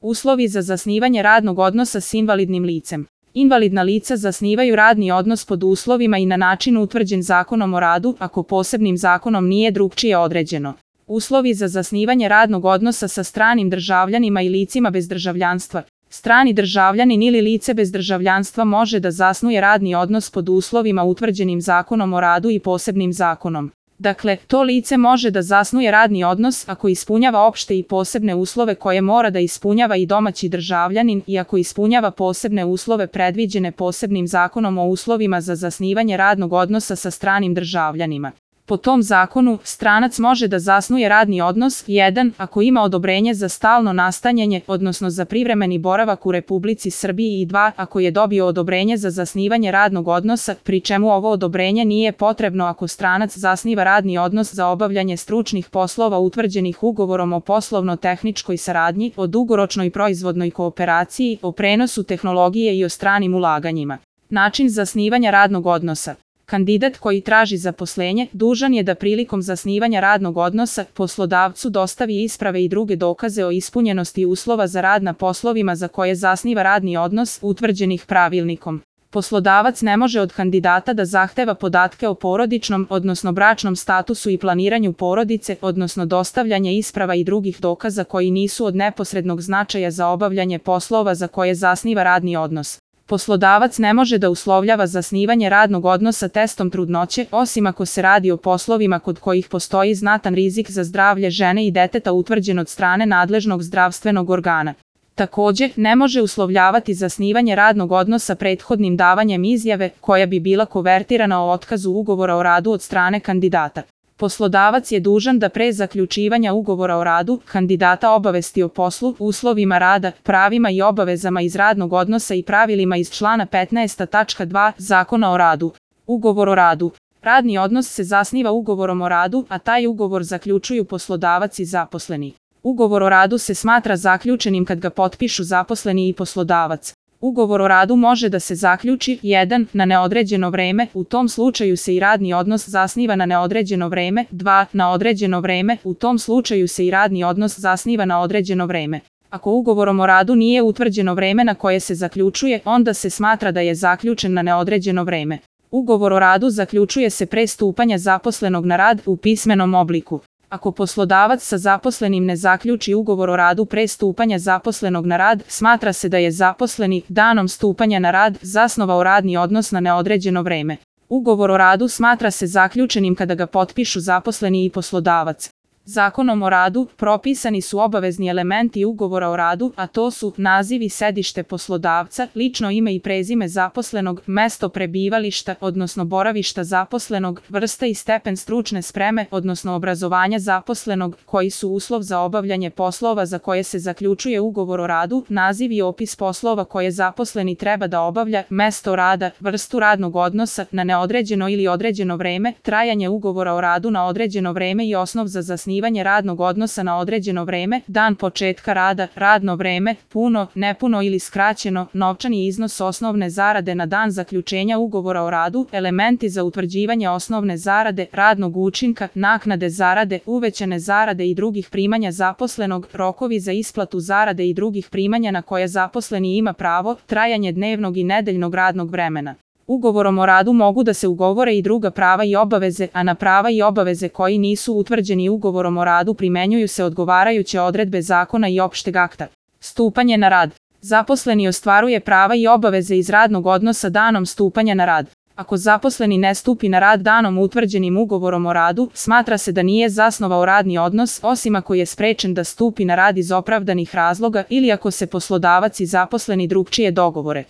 Uslovi za zasnivanje radnog odnosa s invalidnim licem. Invalidna lica zasnivaju radni odnos pod uslovima i na način utvrđen Zakonom o radu, ako posebnim zakonom nije drukčije određeno. Uslovi za zasnivanje radnog odnosa sa stranim državljanima i licima bez državljanstva. Strani državljanin ili lice bez državljanstva može da zasnuje radni odnos pod uslovima utvrđenim Zakonom o radu i posebnim zakonom. Dakle, to lice može da zasnuje radni odnos ako ispunjava opšte i posebne uslove koje mora da ispunjava i domaći državljanin i ako ispunjava posebne uslove predviđene posebnim zakonom o uslovima za zasnivanje radnog odnosa sa stranim državljanima. Po tom zakonu, stranac može da zasnuje radni odnos 1. ako ima odobrenje za stalno nastanjanje, odnosno za privremeni boravak u Republici Srbiji i 2. ako je dobio odobrenje za zasnivanje radnog odnosa, pri čemu ovo odobrenje nije potrebno ako stranac zasniva radni odnos za obavljanje stručnih poslova utvrđenih ugovorom o poslovno-tehničkoj saradnji, o dugoročnoj proizvodnoj kooperaciji, o prenosu tehnologije i o stranim ulaganjima. Način zasnivanja radnog odnosa. Kandidat koji traži zaposlenje dužan je da prilikom zasnivanja radnog odnosa poslodavcu dostavi isprave i druge dokaze o ispunjenosti uslova za rad na poslovima za koje zasniva radni odnos utvrđenih pravilnikom. Poslodavac ne može od kandidata da zahteva podatke o porodičnom, odnosno bračnom statusu i planiranju porodice, odnosno dostavljanje isprava i drugih dokaza koji nisu od neposrednog značaja za obavljanje poslova za koje zasniva radni odnos. Poslodavac ne može da uslovljava zasnivanje radnog odnosa testom trudnoće, osim ako se radi o poslovima kod kojih postoji znatan rizik za zdravlje žene i deteta utvrđen od strane nadležnog zdravstvenog organa. Takođe, ne može uslovljavati zasnivanje radnog odnosa prethodnim davanjem izjave, koja bi bila kovertirana o otkazu ugovora o radu od strane kandidata. Poslodavac je dužan da pre zaključivanja ugovora o radu kandidata obavesti o poslu, uslovima rada, pravima i obavezama iz radnog odnosa i pravilima iz člana 15. tačka 2. Zakona o radu. Ugovor o radu. Radni odnos se zasniva ugovorom o radu, a taj ugovor zaključuju poslodavac i zaposleni. Ugovor o radu se smatra zaključenim kad ga potpišu zaposleni i poslodavac. Ugovor o radu može da se zaključi 1. na neodređeno vreme, u tom slučaju se i radni odnos zasniva na neodređeno vreme, 2. na određeno vreme, u tom slučaju se i radni odnos zasniva na određeno vreme. Ako ugovorom o radu nije utvrđeno vreme na koje se zaključuje, onda se smatra da je zaključen na neodređeno vreme. Ugovor o radu zaključuje se pre stupanja zaposlenog na rad u pismenom obliku. Ako poslodavac sa zaposlenim ne zaključi ugovor o radu pre stupanja zaposlenog na rad, smatra se da je zaposleni danom stupanja na rad zasnovao radni odnos na neodređeno vreme. Ugovor o radu smatra se zaključenim kada ga potpišu zaposleni i poslodavac. Zakonom o radu propisani su obavezni elementi ugovora o radu, a to su naziv i sedište poslodavca, lično ime i prezime zaposlenog, mesto prebivališta, odnosno boravišta zaposlenog, vrsta i stepen stručne spreme, odnosno obrazovanja zaposlenog, koji su uslov za obavljanje poslova za koje se zaključuje ugovor o radu, naziv i opis poslova koje zaposleni treba da obavlja, mesto rada, vrstu radnog odnosa na neodređeno ili određeno vreme, trajanje ugovora o radu na određeno vreme i osnov za zasnivanje radnog odnosa na određeno vreme, dan početka rada, radno vreme, puno, nepuno ili skraćeno, novčani iznos osnovne zarade na dan zaključenja ugovora o radu, elementi za utvrđivanje osnovne zarade, radnog učinka, naknade zarade, uvećane zarade i drugih primanja zaposlenog, rokovi za isplatu zarade i drugih primanja na koje zaposleni ima pravo, trajanje dnevnog i nedeljnog radnog vremena. Ugovorom o radu mogu da se ugovore i druga prava i obaveze, a na prava i obaveze koji nisu utvrđeni ugovorom o radu primenjuju se odgovarajuće odredbe zakona i opšteg akta. Stupanje na rad. Zaposleni ostvaruje prava i obaveze iz radnog odnosa danom stupanja na rad. Ako zaposleni ne stupi na rad danom utvrđenim ugovorom o radu, smatra se da nije zasnovao radni odnos, osim ako je sprečen da stupi na rad iz opravdanih razloga ili ako se poslodavac i zaposleni drukčije dogovore.